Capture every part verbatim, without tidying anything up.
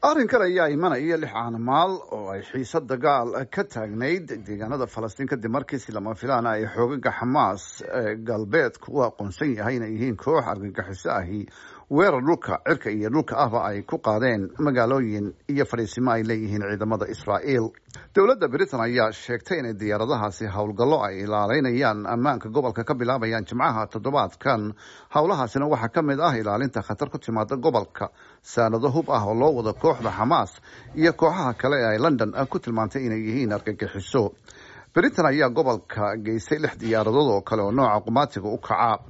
Arrinkan ayaa imanaya lix caanamaal oo ay xiisad dagaal ka taagnayd deegaanada Falastiin, kadib markii si lama filaana ay xoogaga Xamaas galbeedku u aqoonsan yahay inay yihiin koox argagixiso ahi weerar dhulka, cirka iyo dhulka ahba ay ku qaadeen magaalooyin iyo fadhiisimo ay leeyihiin ciidamada Israa'iil. Dowladda Britain ayaa sheegtay inay diyaaradahaasi howlgallo ay ilaaleynayaan ammaanka gobolka ka bilaabayaan Jimcaha toddobaadkan. Howlahaasina waxaa ka mid ah ilaalinta khatar ku timaada gobolka, saanado hub ah oo loo wado kooxda Xamaas iyo kooxaha kale ee ay London ku tilmaantay inay yihiin argagixiso. Britain ayaa gobolka geysay lix diyaaradood oo kale oo nooca qumaatiga u kaca.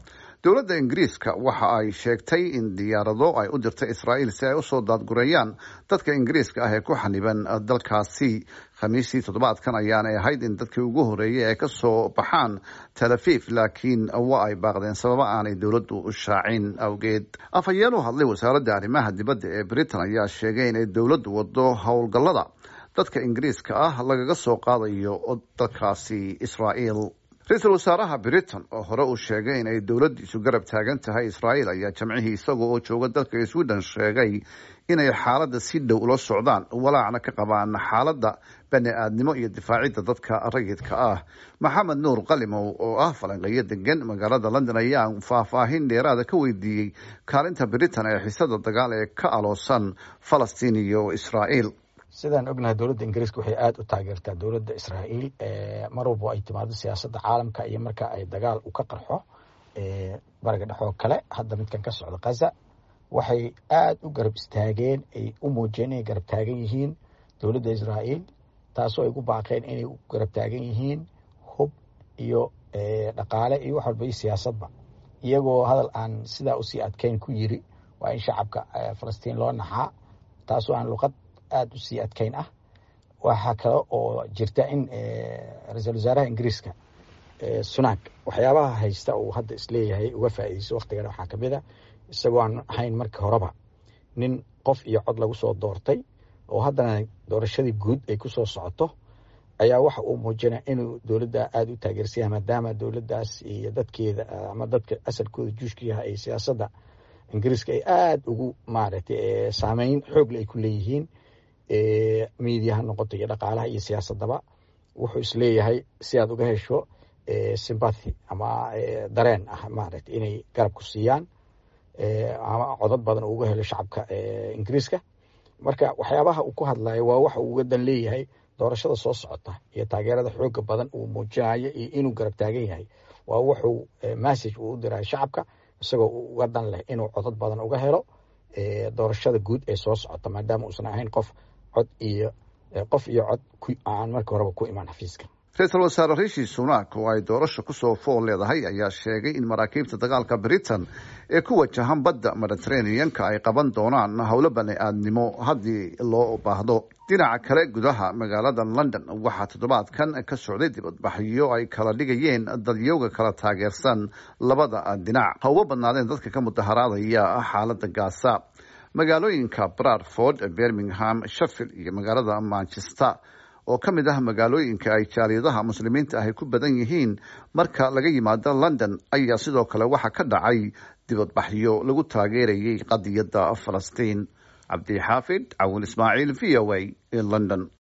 Dowladda Ingiriiska waxa ay sheegtay in diyaarado ay u dirtay Israa'iil si ay usoo daadgureeyaan dadka Ingiriiska ah ee ku xaniban dalkaasi. Khamiistii toddobaadkan ayaanay ahayd in dadkii ugu horreeyay ay kasoo baxaan Tel Aviv, laakiin waa ay baaqdeen sababa aanay dowladdu shaacin awgeed. Afhayeen u hadlay Wasaaradda Arrimaha Dibadda ee Britain ayaa sheegay inay dowladdu wado howlgallada dadka Ingiriiska ah lagaga soo qaadayo dalkaasi Israa'iil. Ra-iisul wasaaraha Britain oo hore uu sheegay inay dowladdiisu garab taagan tahay Israa'iil ayaa Jamcihii isaga oo jooga dalka Sweden sheegay inay xaaladda si dhow ula socdaan, walaacna ka qabaan xaaladda bani aadnimo iyo difaacidda dadka rayidka ah. Maxamed Nuur Qalimow oo ah falanqeeyo degan magaalada London ayaa faahfaahin dheeraada ka weydiiyey kaalinta Britain ee xiisada dagaal ee ka aloosan Falastiin iyo Israa'iil. Sidaan ognahay, dowladda Ingiriiska waxay aada u taageertaa dowladda Israa'iil mar walbo ay timaado siyaasadda caalamka iyo marka ay dagaal u ka qarxo Bariga Dhexoo kale. Hadda midkan ka socda Gaza, waxay aada u garab istaageen, ay u muujiyeen inay garab taagan yihiin dowladda Israa'iil, taasoo ay ku baaqeen inay u garab taagan yihiin hub iyo dhaqaale iyo wax walba iyo siyaasadba, iyagoo hadal aan sidaa usii adkeyn ku yiri waa in shacabka Falastiin loo naxaa, taasoo aan luqad aada usii adkeyn ah. Waxaa kale oo jirta in ra-iisul wasaaraha Ingiriiska Sunak waxyaabaha haysta uu hadda isleeyahay uga faa'iideyso waktigan waxaa kamid a, isagoo aan ahayn markii horeba nin qof iyo cod lagu soo doortay oo haddana doorashadii guud ay kusoo socoto, ayaa waxa uu muujinaya inuu dowladda aada u taageersan yahay, maadaama dowladdaas iyo dadkeeda ama dadka asalkooda Juushka yahay ay siyaasadda Ingiriiska ay aada ugu maaragtay saameyn xoogle ay ku leeyihiin, media ha noqoto iyo dhaqaalaha iyo siyaasadaba. Wuxuu isleeyahay si aad uga hesho sympathy ama dareen ah maaragtay inay garab ku siiyaan ama codad badan uu uga helo shacabka Ingiriiska. Marka waxyaabaha uu ku hadlayo waa waxa uu uga dan leeyahay doorashada soo socota, iyo taageerada xooga badan uu muujinayo iyo inuu garab taagan yahay waa wuxuu message uu u dirayo shacabka, isagoo uga dan leh inuu codad badan uga helo doorashada guud ee soo socota, maadaama uusan ahayn qof cod iyo qof iyo cod aan markii horeba ku imaan xafiiska. Ra-iisul wasaare Rishi Sunak oo ay doorasho kusoo fool leedahay ayaa sheegay in maraakiibta dagaalka Britain ee ku wajahan badda Mediterraneanka ay qaban doonaan howlo bani aadnimo haddii loo baahdo. Dhinaca kale, gudaha magaalada London waxaa toddobaadkan ka socday dibadbaxyo ay kala dhigayeen dadyowga kala taageersan labada dhinac, ha uga badnaadeen dadka ka mudaharaadaya xaalada Gaasa. Magaalooyinka Bradford, Birmingham, Sheffield iyo magaalada Manchester oo ka mid ah magaalooyinka ay jaaliyadaha Muslimiinta ahy ku badan yihiin marka laga yimaado London ayaa sidoo kale waxaa ka dhacay dibadbaxyo lagu taageerayay qadiyadda Falastiin. Cabdixaafid Cawil Ismaaciil, V O A, London.